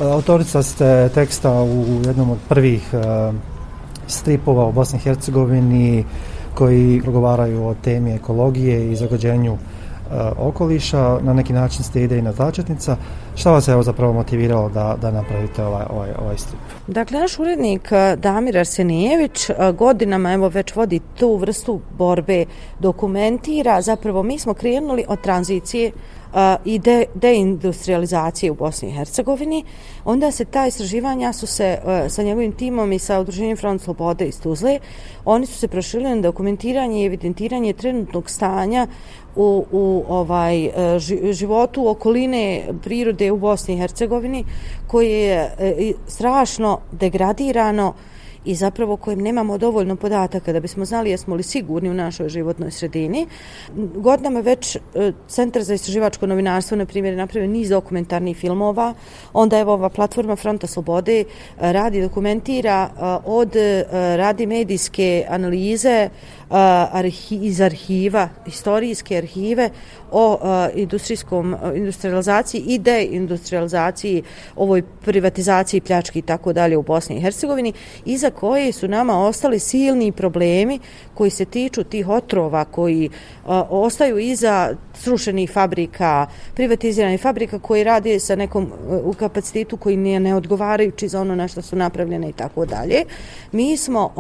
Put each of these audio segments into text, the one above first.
Autorica ste teksta u jednom od prvih stripova u Bosni i Hercegovini koji progovaraju o temi ekologije i zagađenju okoliša. Na neki način ste idejna začetnica. Šta vas je zapravo motiviralo da napravite ovaj strip? Dakle, naš urednik Damir Arsenijević godinama već vodi tu vrstu borbe, dokumentira. Zapravo mi smo krenuli od tranzicije i deindustrializacije u Bosni i Hercegovini. Onda se ta istraživanja su se sa njegovim timom i sa udruženjem Front slobode iz Tuzle, oni su se proširili na dokumentiranje i evidentiranje trenutnog stanja u životu okoline prirode u Bosni i Hercegovini, koje je strašno degradirano i zapravo kojem nemamo dovoljno podataka da bismo znali jesmo li sigurni u našoj životnoj sredini. Godinama već Centar za istraživačko novinarstvo, na primjer, napravio niz dokumentarnih filmova. Onda ova platforma Fronta slobode radi, dokumentira radi medijske analize iz arhiva, historijske arhive o industrializaciji i deindustrializaciji, ovoj privatizaciji, pljački i tako dalje u Bosni i Hercegovini, iza koje su nama ostali silni problemi koji se tiču tih otrova koji ostaju iza srušenih fabrika, privatiziranih fabrika koji rade sa nekom u kapacitetu koji nije neodgovarajući za ono na što su napravljene i tako dalje. Mi smo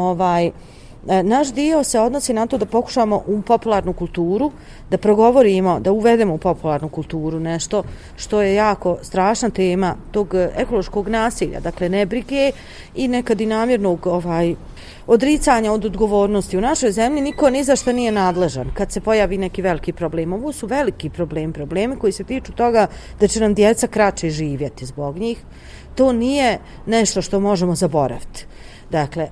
naš dio se odnosi na to da pokušamo u popularnu kulturu, da progovorimo, da uvedemo u popularnu kulturu nešto što je jako strašna tema tog ekološkog nasilja, dakle nebrige i nekad i namjernog odricanja od odgovornosti. U našoj zemlji niko ni za što nije nadležan kad se pojavi neki veliki problem. Ovo su veliki problemi koji se tiču toga da će nam djeca kraće živjeti zbog njih. To nije nešto što možemo zaboraviti. Dakle,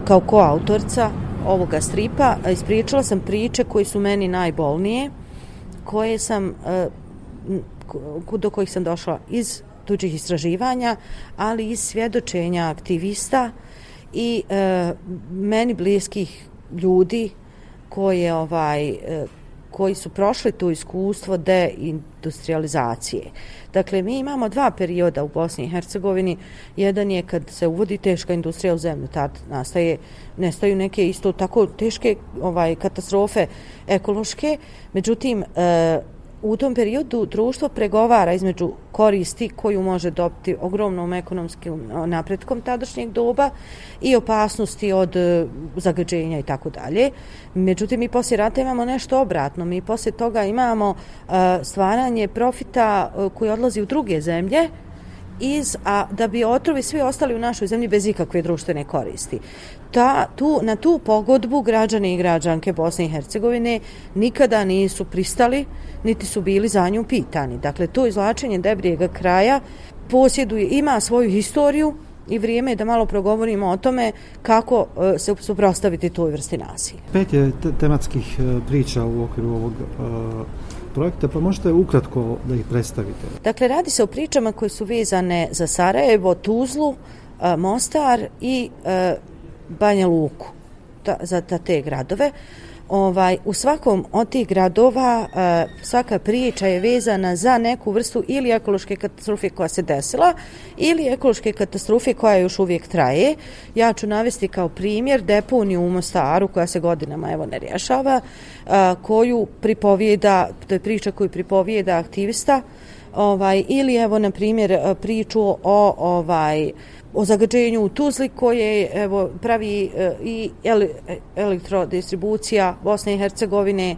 kao koautorca ovoga stripa ispričala sam priče koje su meni najbolnije, do kojih sam došla iz tuđih istraživanja, ali iz svjedočenja aktivista i meni bliskih ljudi koji su prošli to iskustvo deindustrializacije. Dakle, mi imamo dva perioda u Bosni i Hercegovini. Jedan je kad se uvodi teška industrija u zemlju, tad nestaju neke isto tako teške katastrofe ekološke. Međutim, u tom periodu društvo pregovara između koristi koju može dobiti ogromnom ekonomskim napretkom tadašnjeg doba i opasnosti od zagađenja i tako dalje. Međutim, mi poslije rata imamo nešto obratno. Mi poslije toga imamo stvaranje profita koji odlazi u druge zemlje, a da bi otrovi svi ostali u našoj zemlji bez ikakve društvene koristi. Na tu pogodbu građani i građanke Bosne i Hercegovine nikada nisu pristali, niti su bili za nju pitani. Dakle, to izvlačenje debrijega kraja ima svoju historiju i vrijeme je da malo progovorimo o tome kako se suprotstaviti toj vrsti nasilja. 5 je tematskih priča u okviru ovog projekta, pa možete ukratko da ih predstavite? Dakle, radi se o pričama koje su vezane za Sarajevo, Tuzlu, Mostar i Banja Luku, za te gradove. U svakom od tih gradova svaka priča je vezana za neku vrstu ili ekološke katastrofe koja se desila ili ekološke katastrofe koja još uvijek traje. Ja ću navesti kao primjer deponiju u Mostaru koja se godinama ne rješava, koju pripovijeda, to je priča koju pripovijeda aktivista, ili na primjer priču o zagađenju u Tuzli koje pravi i elektrodistribucija Bosne i Hercegovine,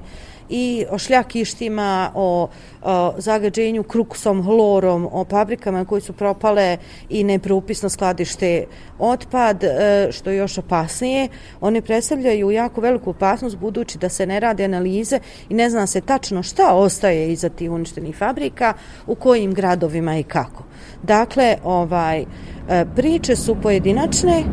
i o šljakištima, o zagađenju kruksom, hlorom, o fabrikama koje su propale i nepropisno skladište otpad, što je još opasnije. One predstavljaju jako veliku opasnost budući da se ne rade analize i ne zna se tačno šta ostaje iza tih uništenih fabrika, u kojim gradovima i kako. Dakle, priče su pojedinačne,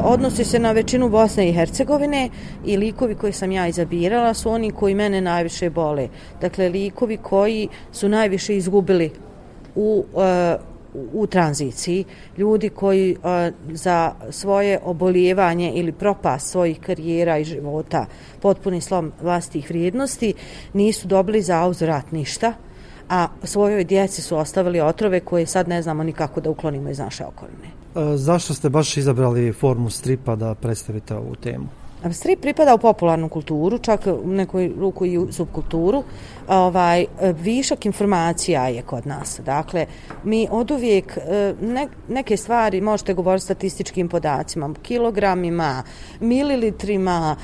odnosi se na većinu Bosne i Hercegovine i likovi koje sam ja izabirala su oni koji mene najviše bole. Dakle, likovi koji su najviše izgubili u tranziciji, ljudi koji za svoje obolijevanje ili propast svojih karijera i života, potpuni slom vlastitih vrijednosti, nisu dobili za uzvrat ništa, a svojoj djeci su ostavili otrove koje sad ne znamo ni kako da uklonimo iz naše okoline. Zašto ste baš izabrali formu stripa da predstavite ovu temu? Strip pripada u popularnu kulturu, čak u nekoj ruku i u subkulturu. Višak informacija je kod nas. Dakle, mi oduvijek neke stvari možete govoriti statističkim podacima, kilogramima, mililitrima,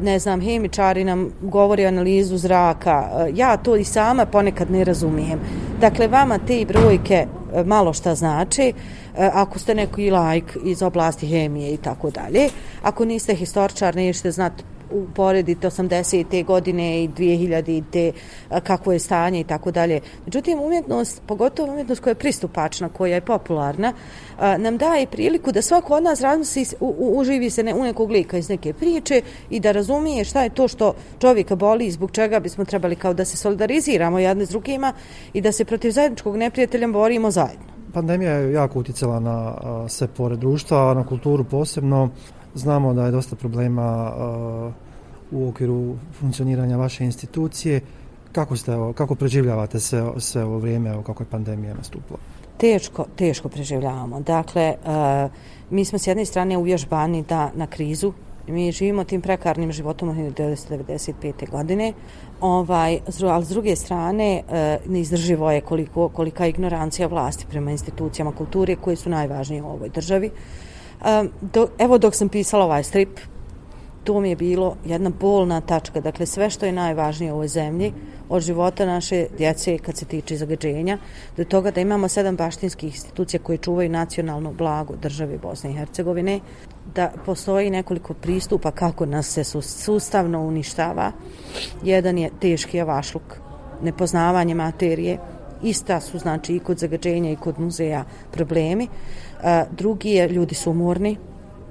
ne znam, hemičari nam govori analizu zraka. Ja to i sama ponekad ne razumijem. Dakle, vama te brojke malo šta znači, ako ste neki laik iz oblasti hemije i tako dalje. Ako niste historičar, nećete znati uporediti 80. godine i 2000. kakvo je stanje i tako dalje. Međutim, umjetnost, pogotovo umjetnost koja je pristupačna, koja je popularna, nam daje priliku da svako od nas razmisli, uživi se u nekog lika iz neke priče i da razumije šta je to što čovjeka boli i zbog čega bismo trebali kao da se solidariziramo jedni s drugima i da se protiv zajedničkog neprijatelja borimo zajedno. Pandemija je jako utjecala na sve pore društva, a na kulturu posebno. Znamo da je dosta problema u okviru funkcioniranja vaše institucije. Kako preživljavate sve ovo vrijeme, kako je pandemija nastupila? Teško preživljavamo. Dakle, mi smo s jedne strane uvježbani na krizu. Mi živimo tim prekarnim životom od 1995. godine, ali s druge strane neizdrživo je kolika je ignorancija vlasti prema institucijama kulture koje su najvažnije u ovoj državi. Dok sam pisala ovaj strip, to mi je bilo jedna bolna tačka. Dakle, sve što je najvažnije u ovoj zemlji, od života naše djece kad se tiče zagađenja, do toga da imamo 7 baštinskih institucija koje čuvaju nacionalno blago države Bosne i Hercegovine, da postoji nekoliko pristupa kako nas se sustavno uništava. Jedan je teški javašluk, nepoznavanje materije, ista su znači i kod zagađenja i kod muzeja problemi. Drugi je ljudi su umorni,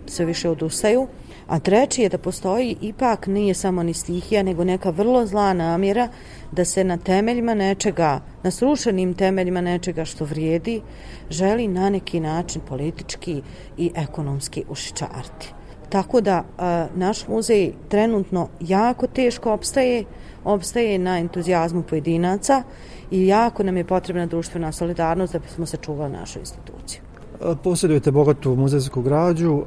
sve više odustaju. A treći je da postoji, ipak nije samo ni stihija, nego neka vrlo zla namjera da se na temeljima nečega, na srušenim temeljima nečega što vrijedi, želi na neki način politički i ekonomski ušičariti. Tako da naš muzej trenutno jako teško opstaje na entuzijazmu pojedinaca i jako nam je potrebna društvena solidarnost da bismo sačuvali našu instituciju. Posjedujete bogatu muzejsku građu,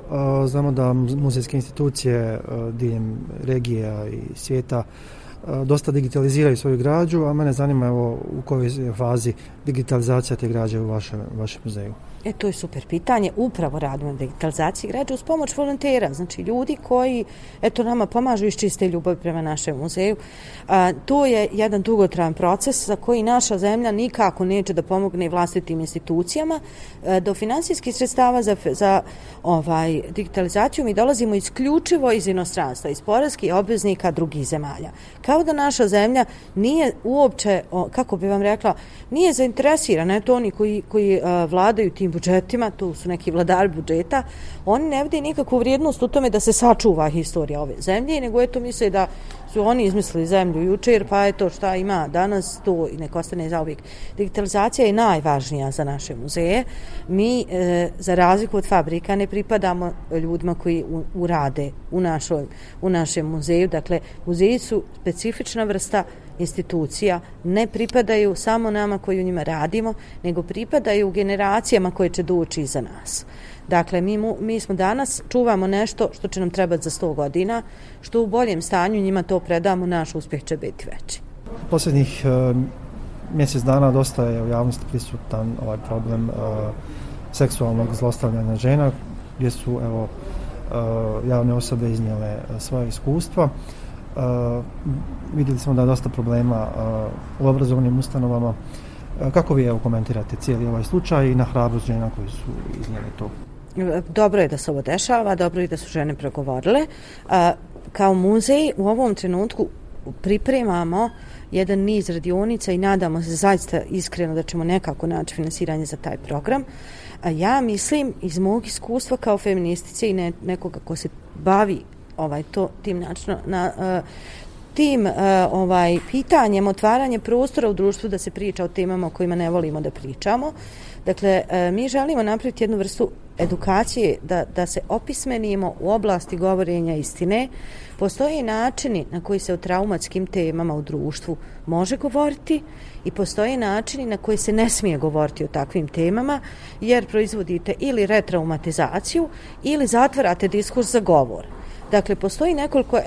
znamo da muzejske institucije diljem regija i svijeta dosta digitaliziraju svoju građu, a mene zanima u kojoj je fazi digitalizacija te građe u vašem muzeju. To je super pitanje. Upravo radimo na digitalizaciji građe uz pomoć volontera, znači ljudi koji nama pomažu iz čiste ljubavi prema našem muzeju. To je jedan dugotrajan proces za koji naša zemlja nikako neće da pomogne vlastitim institucijama. Do finansijskih sredstava za digitalizaciju mi dolazimo isključivo iz inostranstva, iz poreskih obveznika drugih zemalja. Kao da naša zemlja nije uopće, kako bi vam rekla, nije zainteresirana. To oni koji vladaju tim budžetima, tu su neki vladari budžeta, oni ne vide nikakvu vrijednost u tome da se sačuva historija ove zemlje, nego misle da su oni izmislili zemlju jučer, pa šta ima danas, to i nek ostane zauvijek. Digitalizacija je najvažnija za naše muzeje. Mi, za razliku od fabrika, ne pripadamo ljudima koji urade u našem muzeju. Dakle, muzeji su specifična vrsta institucija, ne pripadaju samo nama koji u njima radimo, nego pripadaju generacijama koje će doći iza nas. Dakle, mi smo danas, čuvamo nešto što će nam trebati za 100 godina, što u boljem stanju njima to predamo, naš uspjeh će biti veći. Posljednjih mjesec dana dosta je u javnosti prisutan ovaj problem seksualnog zlostavljanja žena, gdje su javne osobe iznijele svoje iskustva. Vidjeli smo da je dosta problema u obrazovnim ustanovama. Kako vi komentirate cijeli ovaj slučaj i na hrabrost žena koji su iznijeli to? Dobro je da se ovo dešava, dobro je da su žene progovorile. Kao muzej u ovom trenutku pripremamo jedan niz radionica i nadamo se zaista iskreno da ćemo nekako naći finansiranje za taj program. Ja mislim iz mog iskustva kao feministice i nekoga ko se bavi tim načinom pitanjem otvaranja prostora u društvu da se priča o temama o kojima ne volimo da pričamo, Dakle, mi želimo napraviti jednu vrstu edukacije da se opismenimo u oblasti govorenja istine. Postoje načini na koji se o traumatskim temama u društvu može govoriti i postoje načini na koji se ne smije govoriti o takvim temama, jer proizvodite ili retraumatizaciju ili zatvarate diskurs za govor. Dakle, postoji nekoliko,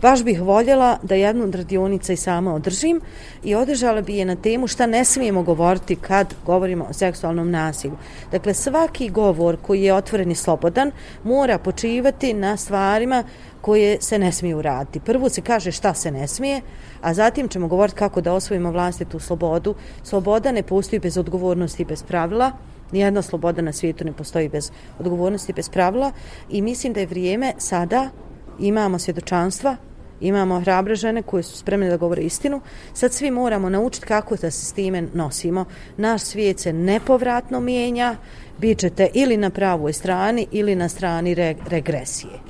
baš bih voljela da jednu od radionica i sama održim i održala bi je na temu šta ne smijemo govoriti kad govorimo o seksualnom nasilju. Dakle, svaki govor koji je otvoren i slobodan mora počivati na stvarima koje se ne smiju uraditi. Prvo se kaže šta se ne smije, a zatim ćemo govoriti kako da osvojimo vlastitu slobodu. Sloboda ne postoji bez odgovornosti i bez pravila. Nijedna sloboda na svijetu ne postoji bez odgovornosti i bez pravila i mislim da je vrijeme sada, imamo svjedočanstva, imamo hrabre žene koje su spremne da govore istinu, sad svi moramo naučiti kako da se s time nosimo. Naš svijet se nepovratno mijenja, bit ćete ili na pravoj strani ili na strani regresije.